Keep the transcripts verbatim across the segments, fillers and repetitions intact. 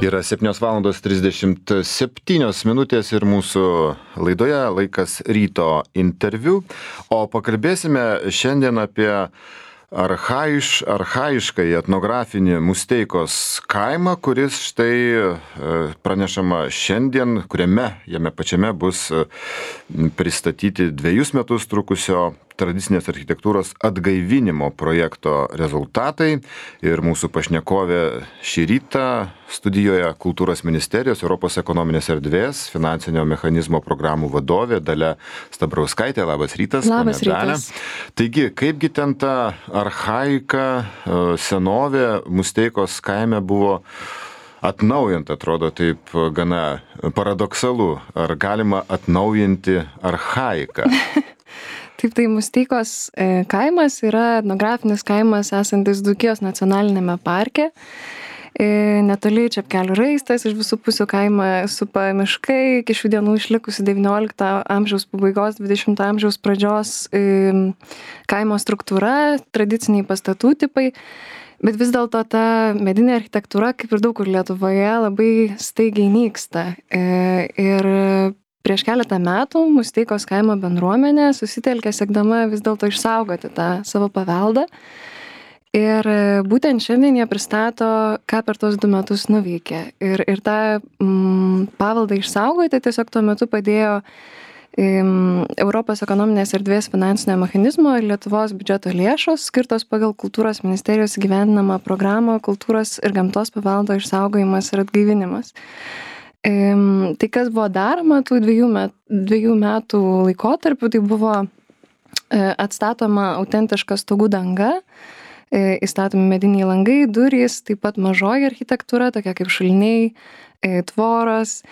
Yra septynios valandos trisdešimt septynios minutės ir mūsų laidoje laikas ryto interviu, o pakalbėsime šiandien apie archaiš, archaiškai etnografinį Musteikos kaimą, kuris štai pranešama šiandien, kuriame jame pačiame bus pristatyti dviejus metus trukusio tradicinės architektūros atgaivinimo projekto rezultatai. Ir mūsų pašnekovė šį rytą studijoje Kultūros ministerijos Europos ekonominės erdvės finansinio mechanizmo programų vadovė Dalia Stabrauskaitė. Labas rytas. Labas rytas. Taigi, kaipgi ten ta archaika, senovė Musteikos kaime buvo atnaujinta, atrodo taip gana paradoksalu. Ar galima atnaujinti archaiką? Taip, tai Musteikos kaimas yra etnografinis kaimas esantis Dzūkijos nacionalinėme parke. Netoli Čepkelių raistas, iš visų pusių kaimą supa miškai, iki šių dienų išlikusi devyniolikto amžiaus pabaigos, dvidešimto amžiaus pradžios kaimo struktūra, tradiciniai pastatų tipai. Bet vis dėlto ta medinė architektūra, kaip ir daug kur Lietuvoje, labai staigiai nyksta. Ir prieš keletą metų Musteikos kaimo bendruomenė susitelkė siekdama vis dėlto išsaugoti tą savo paveldą. Ir būtent šiandien jie pristato, ką per tos du metus nuveikė. Ir, ir tą mm, paveldą išsaugoti tiesiog tuo metu padėjo mm, Europos ekonominės erdvės finansinio mechanizmo ir Lietuvos biudžeto lėšos, skirtos pagal Kultūros ministerijos įgyvendinamą programą Kultūros ir gamtos paveldo išsaugojimas ir atgaivinimas. Tai kas buvo daroma tų dviejų metų, dviejų metų laikotarpiu, tai buvo atstatoma autentiška stogų danga, įstatomi mediniai langai, durys, taip pat mažoji architektūra, tokia kaip šuliniai, tvoros,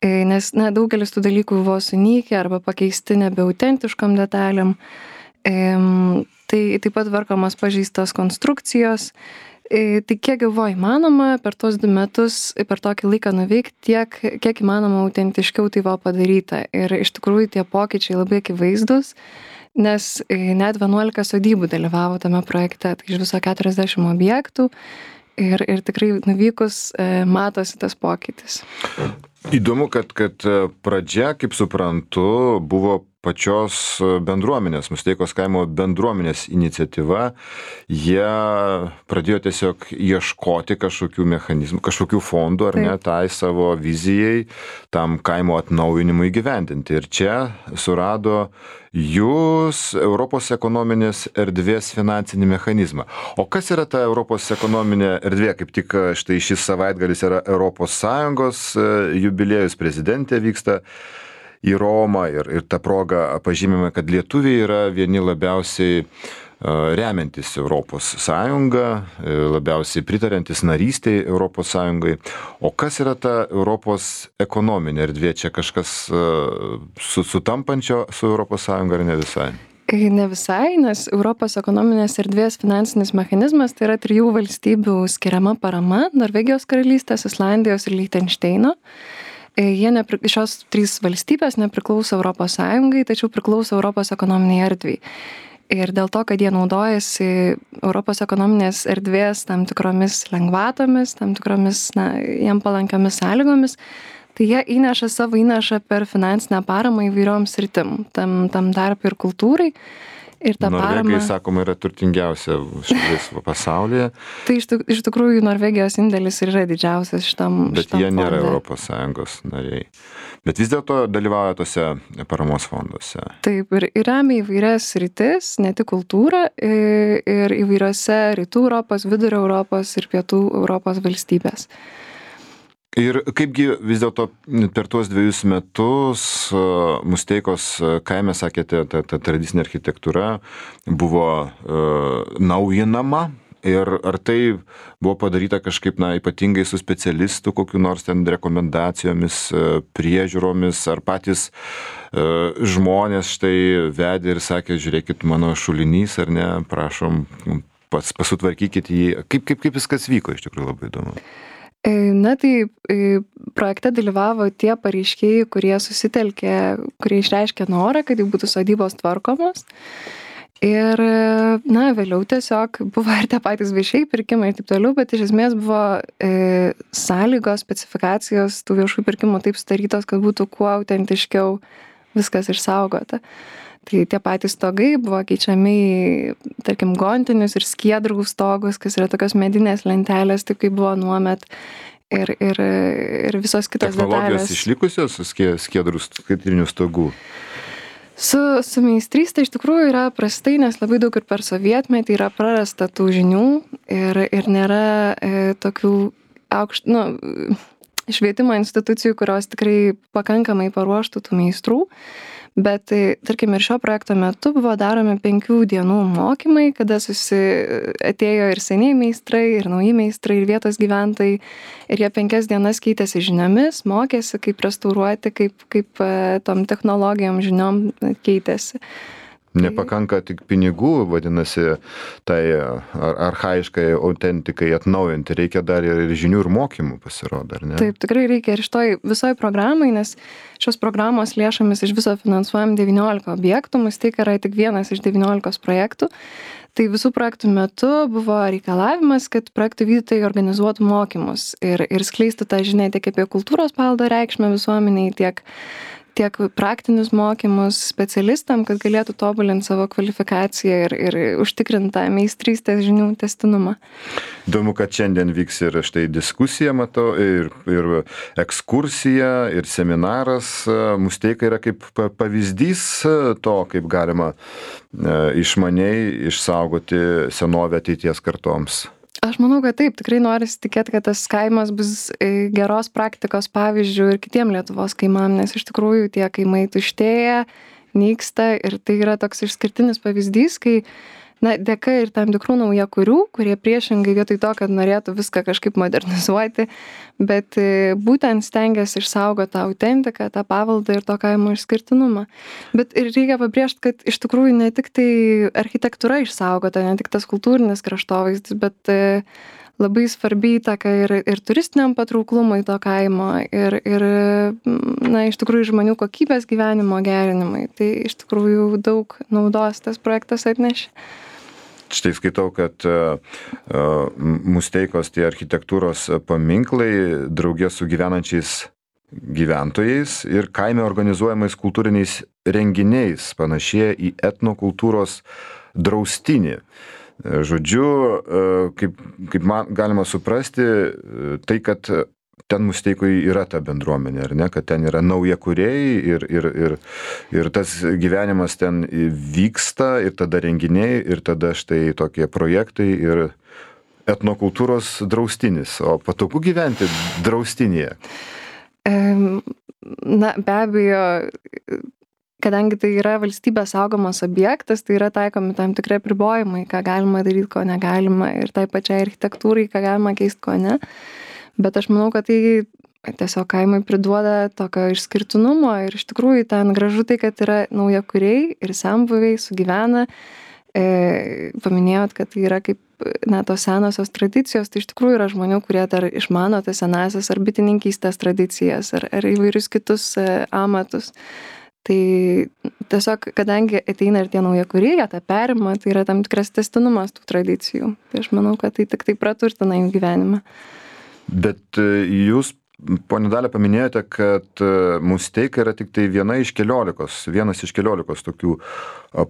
nes na, daugelis tų dalykų buvo sunykę arba pakeisti nebe autentiškom detalėm. Tai taip pat tvarkomos pažeistos konstrukcijos. Tai kiek buvo įmanoma per tos du metus, per tokį laiką nuveikti, tiek, kiek įmanoma autentiškiau tai buvo padaryta. Ir iš tikrųjų tie pokyčiai labai akivaizdus, nes net vienuolika sodybų dalyvavo tame projekte, tai iš viso keturiasdešimt objektų ir, ir tikrai nuvykus matosi tas pokytis. Įdomu, kad, kad pradžia, kaip suprantu, buvo pačios bendruomenės, Musteikos kaimo bendruomenės iniciatyva. Jie pradėjo tiesiog ieškoti kažkokių mechanizmų, kažkokių fondų, ar ne, tai savo vizijai, tam kaimo atnaujinimui įgyvendinti. Ir čia surado jūs Europos ekonominės erdvės finansinį mechanizmą. O kas yra ta Europos ekonominė erdvė? Kaip tik štai šis savaitgalis yra Europos Sąjungos jubiliejus, prezidentė vyksta į Romą ir, ir ta proga pažymime, kad lietuviai yra vieni labiausiai remiantis Europos Sąjungą, labiausiai pritarantis narystiai Europos Sąjungai. O kas yra ta Europos ekonominė erdvė? Čia kažkas su, sutampančio su Europos Sąjunga ar ne visai? Ne visai, nes Europos ekonominės erdvės finansinis mechanizmas tai yra trijų valstybių skiriama parama - Norvegijos karalystės, Islandijos ir Lichtenšteino. Jie nepri... Šios trys valstybės nepriklauso Europos Sąjungai, tačiau priklauso Europos ekonominiai erdvei. Ir dėl to, kad jie naudojasi Europos ekonominės erdvės tam tikromis lengvatomis, tam tikromis, na, jiem palankiomis sąlygomis, tai jie įneša savo įnašą per finansinę paramą įvairioms sritim, tam, tam tarp ir kultūrai. Ir ta Norvegai, parama, sakoma, yra turtingiausia šalis pasaulyje. Tai iš, iš tikrųjų Norvegijos indėlis yra didžiausias šitam, bet šitam jie nėra fonde. Europos Sąjungos nariai. Bet vis dėlto dalyvauja tose paramos fonduose. Taip, ir, ir remia įvairias sritis, ne tik kultūrą, ir, ir įvairiose rytų Europos, vidurio Europos ir pietų Europos valstybės. Ir kaipgi vis dėlto per tuos dviejus metus Musteikos kaime, sakėte, ta, ta tradicinė architektūra buvo uh, naujinama. Ir ar tai buvo padaryta kažkaip, na, ypatingai su specialistų, kokiu nors ten rekomendacijomis, priežiūromis, ar patys uh, žmonės štai vedė ir sakė, žiūrėkit, mano šulinys, ar ne, prašom, pas, pasutvarkykit jį. Kaip, kaip, kaip viskas vyko, iš tikrųjų labai įdomu. Na tai projekte dalyvavo tie pareiškėjai, kurie susitelkė, kurie išreiškė norą, kad jau būtų sodybos tvarkomos. Ir, na, vėliau tiesiog buvo ir tie patys viešieji pirkimai ir taip toliau, bet iš esmės buvo e, sąlygos, specifikacijos tų viešųjų pirkimų taip sudarytos, kad būtų kuo autentiškiau viskas išsaugota. Tai tie patys stogai buvo keičiami į, tarkim, gontinius ir skiedrų stogus, kas yra tokios medinės lentelės, taip kaip buvo nuomet. Ir, ir, ir visos kitos technologijos detalės. Išlikusios skiedrų skaitinių stogų? Su, su meistrystė iš tikrųjų yra prastai, nes labai daug ir per sovietmetį yra prarasta tų žinių ir, ir nėra e, tokių aukšt, nu, švietimo institucijų, kurios tikrai pakankamai paruoštų tų meistrų. Bet, tarkim, ir šio projekto metu buvo daromi penkių dienų mokymai, kada susi atėjo ir seniai meistrai, ir nauji meistrai, ir vietos gyventojai. Ir jie penkias dienas keitėsi žiniomis, mokėsi, kaip restauruoti, kaip, kaip tom technologijom žiniom keitėsi. Nepakanka tik pinigų, vadinasi, tai ar, archaiškai autentikai atnaujinti, reikia dar ir žinių ir mokymų, pasirodo, ar ne? Taip, tikrai reikia ir šitoj visoj programai, nes šios programos lėšomis iš viso finansuojam devyniolika objektų, Musteika yra tik vienas iš devyniolikos projektų. Tai visų projektų metu buvo reikalavimas, kad projektų vykdytojai organizuotų mokymus ir, ir skleistų tą žinią tiek apie kultūros paveldo reikšmę visuomeniai, tiek tiek praktinius mokymus specialistam, kad galėtų tobulinti savo kvalifikaciją ir, ir užtikrintą meistrystės žinių tęstinumą. Įdomu, kad šiandien vyks ir štai diskusija, matau, ir, ir ekskursija, ir seminaras. Musteika yra kaip pavyzdys to, kaip galima išmaniai išsaugoti senovę ateities kartoms. Aš manau, kad taip, tikrai norisi tikėti, kad tas kaimas bus geros praktikos pavyzdžių ir kitiem Lietuvos kaimam, nes iš tikrųjų tie kaimai tuštėja, nyksta ir tai yra toks išskirtinis pavyzdys, kai na, dėka ir tam tikrų naujakurių, kurie priešingai vietoj to, kad norėtų viską kažkaip modernizuoti, bet būtent stengiasi išsaugoti tą autentiką, tą paveldą ir to kaimo išskirtinumą. Bet ir reikia pabrėžti, kad iš tikrųjų ne tik tai architektūra išsaugota, ne tik tas kultūrinis kraštovaizdis, bet labai svarbi įtaka ir, ir turistiniam patrauklumui to kaimo ir, ir na, iš tikrųjų žmonių kokybės gyvenimo gerinimui. Tai iš tikrųjų daug naudos tas projektas atnešė. Štai skaitau, kad uh, Musteikos tie architektūros paminklai draugė su gyvenančiais gyventojais ir kaime organizuojamais kultūriniais renginiais panašėja į etnokultūros draustinį. Žodžiu, uh, kaip, kaip man galima suprasti, uh, tai, kad ten Musteikoje yra ta bendruomenė, ar ne, kad ten yra naujakuriai ir, ir, ir, ir tas gyvenimas ten vyksta ir tada renginiai ir tada štai tokie projektai ir etnokultūros draustinis. O patogu gyventi draustinėje? Na, be abejo, kadangi tai yra valstybės saugomas objektas, tai yra taikomi tam tikrai apribojimai, ką galima daryti, ko negalima ir tai pačiai architektūrai, ką galima keisti, ko ne. Bet aš manau, kad tai tiesiog kaimai priduoda tokio išskirtinumo ir iš tikrųjų ten gražu tai, kad yra naujakuriai ir senbuviai sugyvena. E, paminėjot, kad tai yra kaip na, tos senosios tradicijos, tai iš tikrųjų yra žmonių, kurie dar išmano tas senasias ar bitininkystės tradicijas ar, ar įvairius kitus e, amatus. Tai tiesiog, kadangi ateina ir tie naujakuriai, jie tą perima, tai yra tam tikras tęstinumas tų tradicijų. Tai aš manau, kad tai tik tai praturtina jų gyvenimą. Bet jūs, ponia Dalia, paminėjote, kad Musteika yra tik tai viena iš keliolikos, vienas iš keliolikos tokių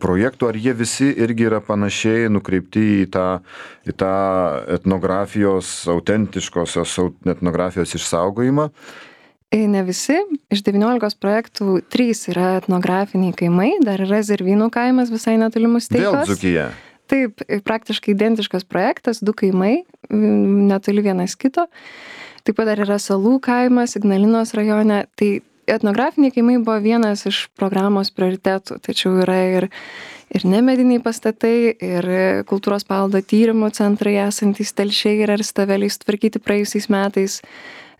projektų. Ar jie visi irgi yra panašiai nukreipti į tą, į tą etnografijos, autentiškosios etnografijos išsaugojimą? Ne visi. Iš devyniolikos projektų trys yra etnografiniai kaimai, dar yra Zervynų kaimas visai netoli Musteikos. Vėl Dzūkija. Taip, praktiškai identiškas projektas, du kaimai, netoli vienas kito. Taip pat dar yra Salų kaimas, Ignalinos rajone. Tai etnografiniai kaimai buvo vienas iš programos prioritetų, tačiau yra ir, ir nemediniai pastatai, ir kultūros paveldo tyrimų centrai esantys Telšiai ir Arstaveliai sutvarkyti praėjusiais metais.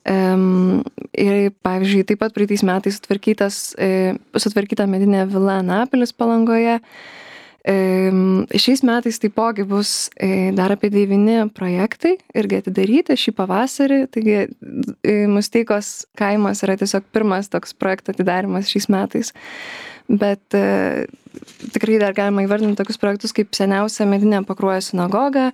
Um, ir pavyzdžiui, taip pat praeitais metais sutvarkytas, e, sutvarkyta medinė vila Anapilis Palangoje. Šiais metais taipogi bus dar apie devyni projektai irgi atidaryti šį pavasarį, taigi Musteikos kaimas yra tiesiog pirmas toks projekto atidarimas šiais metais, bet tikrai dar galima įvardinti tokius projektus kaip seniausia medinė Pakruojo sinagoga,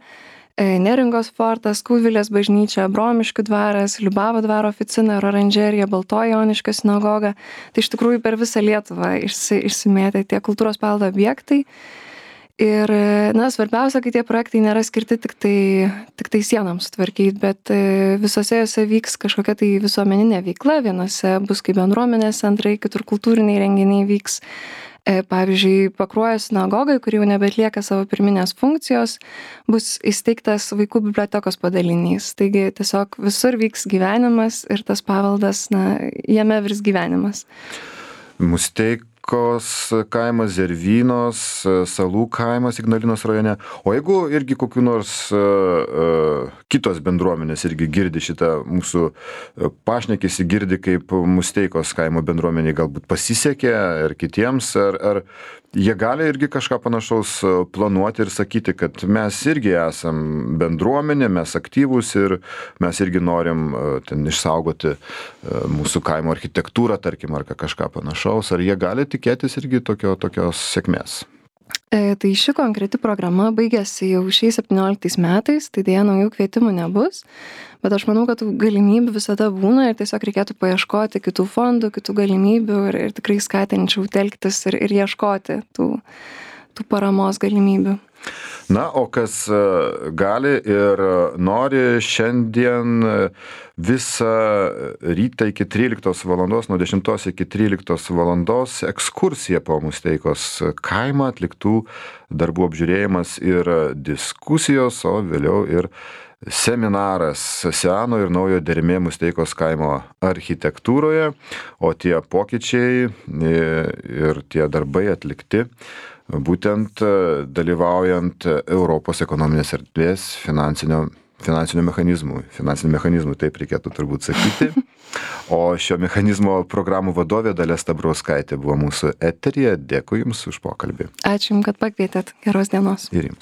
Neringos fortas, Kūdvilės bažnyčia, Bromiškių dvaras, Liubavo dvaro oficina ir oranžerija, Baltoji Joniškio sinagoga. Tai iš tikrųjų per visą Lietuvą išsi, išsimėtė tie kultūros paveldo objektai. Ir, na, svarbiausia, kad tie projektai nėra skirti tik tai, tik tai sienoms sutvarkyti, bet visose jose vyks kažkokia tai visuomeninė veikla, vienose bus kaip bendruomenės centrai, kitur kultūriniai renginiai vyks. Pavyzdžiui, Pakruojo sinagogai, kuri jau nebeatlieka savo pirminės funkcijos, bus įsteigtas vaikų bibliotekos padalinys. Taigi tiesiog visur vyks gyvenimas ir tas paveldas, na, jame virs gyvenimas. Musteikos kaimas, Zervynos, Salų kaimas Ignalinos rajone. O jeigu irgi kokių nors uh, uh, kitos bendruomenės irgi girdi šitą mūsų pašnekesį, girdi kaip Musteikos kaimo bendruomeniai galbūt pasisekė ir kitiems, ar, ar jie gali irgi kažką panašaus planuoti ir sakyti, kad mes irgi esam bendruomenė, mes aktyvūs ir mes irgi norim ten išsaugoti mūsų kaimo architektūrą, tarkim, ar kažką panašaus, ar jie gali tikėtis irgi tokio, tokios sėkmės? E, tai ši konkreti programa baigėsi jau šiais septynioliktais metais, tai dėja naujų kvietimų nebus, bet aš manau, kad tų galimybių visada būna ir tiesiog reikėtų paieškoti kitų fondų, kitų galimybių ir, ir tikrai skatinčiau telktis ir, ir ieškoti tų, tų paramos galimybių. Na, o kas gali ir nori šiandien visą rytą iki tryliktos valandos, nuo dešimtos iki tryliktos valandos ekskursija po Musteikos kaimą, atliktų darbų apžiūrėjimas ir diskusijos, o vėliau ir seminaras seno ir naujo dermė Musteikos kaimo architektūroje, o tie pokyčiai ir tie darbai atlikti būtent dalyvaujant Europos ekonominės erdvės finansinio, finansinių mechanizmų. Finansinių mechanizmų, taip reikėtų turbūt sakyti. O šio mechanizmo programų vadovė Dalia Stabrauskaitė buvo mūsų eteryje. Dėkui Jums už pokalbį. Ačiū Jums, kad pakvietėt. Geros dienos. Ir Jums.